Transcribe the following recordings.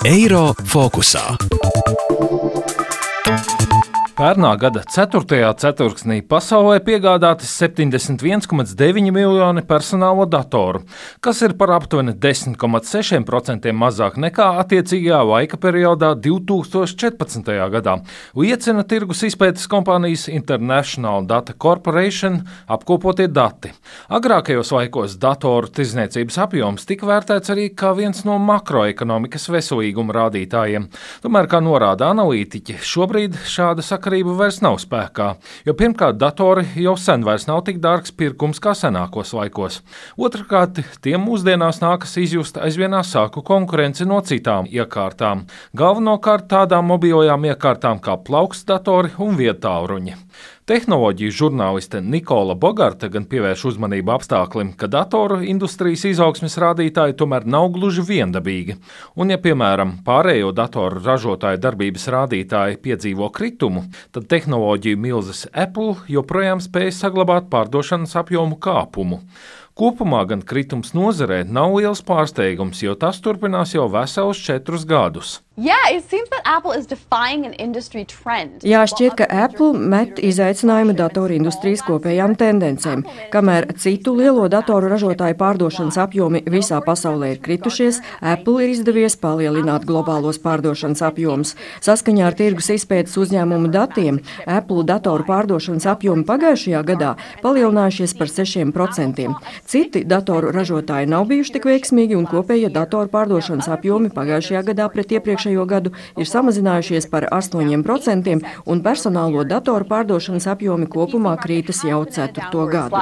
Eiro fokusā. Pērnā gada 4. ceturksnī pasaulē piegādāti 71,9 miljoni personālo datoru, kas ir par aptuveni 10,6% mazāk nekā attiecīgajā laika periodā 2014. gadā, liecina tirgus izpētes kompānijas International Data Corporation apkopotie dati. Agrākajos laikos datoru tirdzniecības apjoms tika vērtēts arī kā viens no makroekonomikas veselīguma rādītājiem. Tomēr, kā norāda analītiķi, šobrīd šāda sakarība vairs nav spēkā, jo pirmkārt datori jau sen vairs nav tik dārgs pirkums kā senākos laikos. Otrkārt, tiem mūsdienās nākas izjust aizvien asāku konkurenci no citām iekārtām, galvenokārt tādām mobilajām iekārtām kā plaukstdatori un viedtālruņi. Tehnoloģiju žurnāliste Nikola Bogarta gan pievērš uzmanību apstāklim, ka datoru industrijas izaugsmes rādītāji tomēr nav gluži viendabīgi. Un, ja, piemēram, pārējo datoru ražotāju darbības rādītāji piedzīvo kritumu, tad tehnoloģiju milzes Apple joprojām spēj saglabāt pārdošanas apjomu kāpumu. Kopumā gan kritums nozarē nav liels pārsteigums, jo tas turpinās jau veselus 4 gadus. Jā, šķiet, ka Apple met izaicinājumu datoru industrijas kopējām tendencēm. Kamēr citu lielo datoru ražotāju pārdošanas apjomi visā pasaulē ir kritušies, Apple ir izdevies palielināt globālos pārdošanas apjomus. Saskaņā ar tirgus izpētes uzņēmumu datiem, Apple datoru pārdošanas apjomi pagājušajā gadā palielinājušies par 6%. Citi datoru ražotāji nav bijuši tik veiksmīgi, un kopējie datoru pārdošanas apjomi pagājušajā gadā pret iepriekšējo gadu ir samazinājušies par 8%, un personālo datoru pārdošanas apjomi kopumā krītas jau 4. gadu.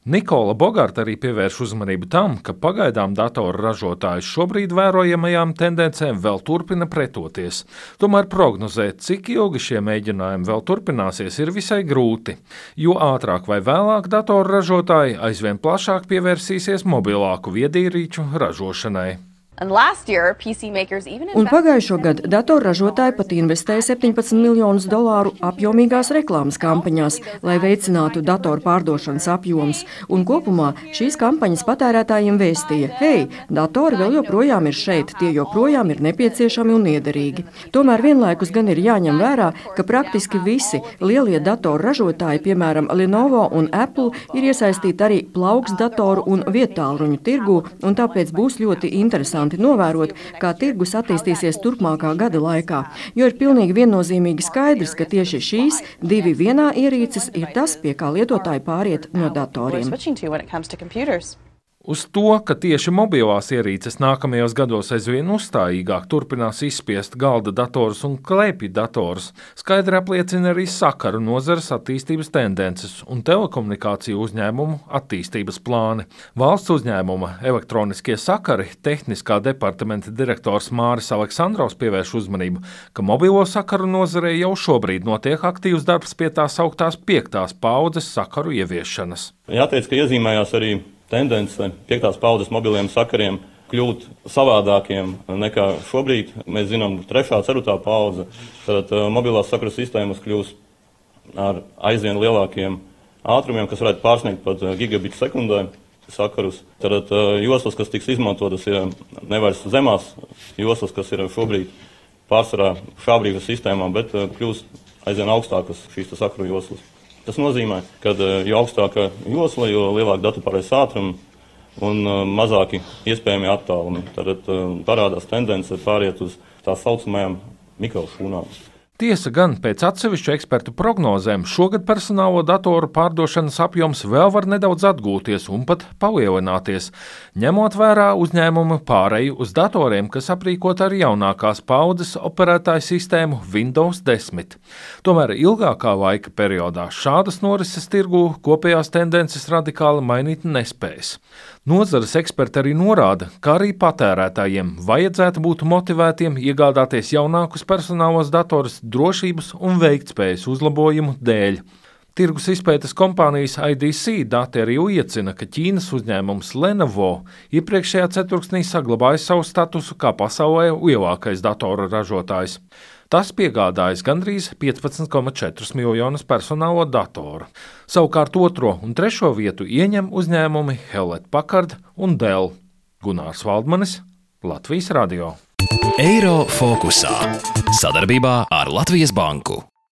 Nikola Bogarta arī pievērš uzmanību tam, ka pagaidām datoru ražotāji šobrīd vērojamajām tendencēm vēl turpina pretoties. Tomēr prognozēt, cik ilgi šie mēģinājumi vēl turpināsies, ir visai grūti, jo ātrāk vai vēlāk datoru ražotāji aizvien plašāk pievērsīsies mobilāku viedierīču ražošanai. Un pagājušo gadu datorražotāji pat investēja $17 miljonus apjomīgās reklāmas kampaņās, lai veicinātu datoru pārdošanas apjomus. Un kopumā šīs kampaņas patērētājiem vēstīja: hei, datori vēl joprojām ir šeit, tie joprojām ir nepieciešami un liederīgi. Tomēr vienlaikus gan ir jāņem vērā, ka praktiski visi lielie datoru ražotāji, piemēram, Lenovo un Apple, ir iesaistīti arī plaukstdatoru un viedtālruņu tirgū, un tāpēc būs ļoti interesanti novērot, kā tirgus attīstīsies turpmākā gada laikā, jo ir pilnīgi viennozīmīgi skaidrs, ka tieši šīs 2 vienā ierīces ir tas, pie kā lietotāji pāriet no datoriem. Uz to, ka tieši mobilās ierīces nākamajos gados aizvien uzstājīgāk turpinās izspiest galda datorus un klēpju datorus, skaidri apliecina arī sakaru nozares attīstības tendences un telekomunikāciju uzņēmumu attīstības plāni. Valsts uzņēmuma elektroniskie sakari tehniskā departamenta direktors Māris Aleksandrovs pievērš uzmanību, ka mobilo sakaru nozarē jau šobrīd notiek aktīvs darbs pie tās augtās 5. paaudzes sakaru ieviešanas. Jāteic, ka iezīmējās arī tendence 5. paaudzes mobiliem sakariem kļūt savādākiem nekā šobrīd. Mēs zinām, 3. 4. paudze, tad mobilās sakaru sistēmas kļūs ar aizvien lielākiem ātrumiem, kas varētu pārsniegt pat gigabitu sekundē sakarus. Tad joslas, kas tiks izmantotas, ir nevairs zemās joslas, kas ir šobrīd pārsvarā šābrīgas sistēmām, bet kļūs aizvien augstākas šīs sakaru joslas. Tas nozīmē, ka jo augstāka josla, jo lielāka datu pārējas ātruma un mazāki iespējami attālumi. Tad parādās tendence pāriet uz tā saucamajām mikrošūnām. Tiesa gan, pēc atsevišķu ekspertu prognozēm, šogad personālo datoru pārdošanas apjoms vēl var nedaudz atgūties un pat palielināties, ņemot vērā uzņēmumu pāreju uz datoriem, kas aprīkot ar jaunākās paaudzes operētāju sistēmu Windows 10. Tomēr ilgākā laika periodā šādas norises tirgū kopējās tendences radikāli mainīt nespējas. Nozares eksperti arī norāda, ka arī patērētājiem vajadzētu būt motivētiem iegādāties jaunākus personālos datorus drošības un veiktspējas uzlabojumu dēļ. Tirgus izpētes kompānijas IDC dati arī liecina, ka Ķīnas uzņēmums Lenovo iepriekšējā ceturksnī saglabāja savu statusu kā pasaulē lielākais datoru ražotājs. Tas piegādājas gandrīz 15,4 miljonus personālo datoru. Savukārt 2. un 3. vietu ieņem uzņēmumi Hewlett Packard un Dell. Gunārs Valdmanis, Latvijas radio. Eiro fokusā sadarbībā ar Latvijas banku.